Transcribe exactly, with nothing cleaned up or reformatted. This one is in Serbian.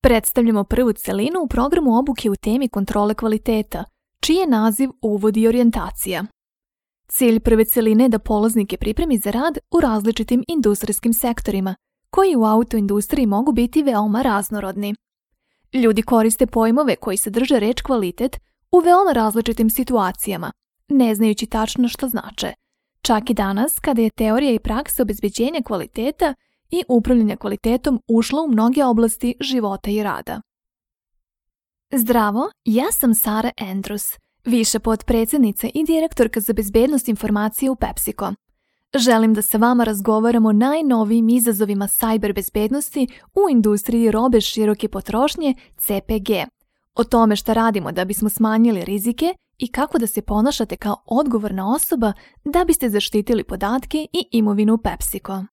Predstavljamo prvu celinu u programu obuke u temi kontrole kvaliteta, čiji je naziv Uvod i orijentacija. Cilj prve celine je da polaznike pripremi za rad u različitim industrijskim sektorima, koji u autoindustriji mogu biti veoma raznorodni. Ljudi koriste pojmove koji sadrže reč kvalitet u veoma različitim situacijama, ne znajući tačno što znače. Čak i danas, kada je teorija i praksa obezbeđenja kvaliteta i upravljanja kvalitetom ušla u mnoge oblasti života i rada. Zdravo, ja sam Sara Andrews, viša potpredsjednica i direktorka za bezbednost informacije u PepsiCo. Želim da sa vama razgovaramo o najnovijim izazovima sajber bezbednosti u industriji robe široke potrošnje C P G, o tome šta radimo da bismo smanjili rizike i kako da se ponašate kao odgovorna osoba da biste zaštitili podatke i imovinu PepsiCo.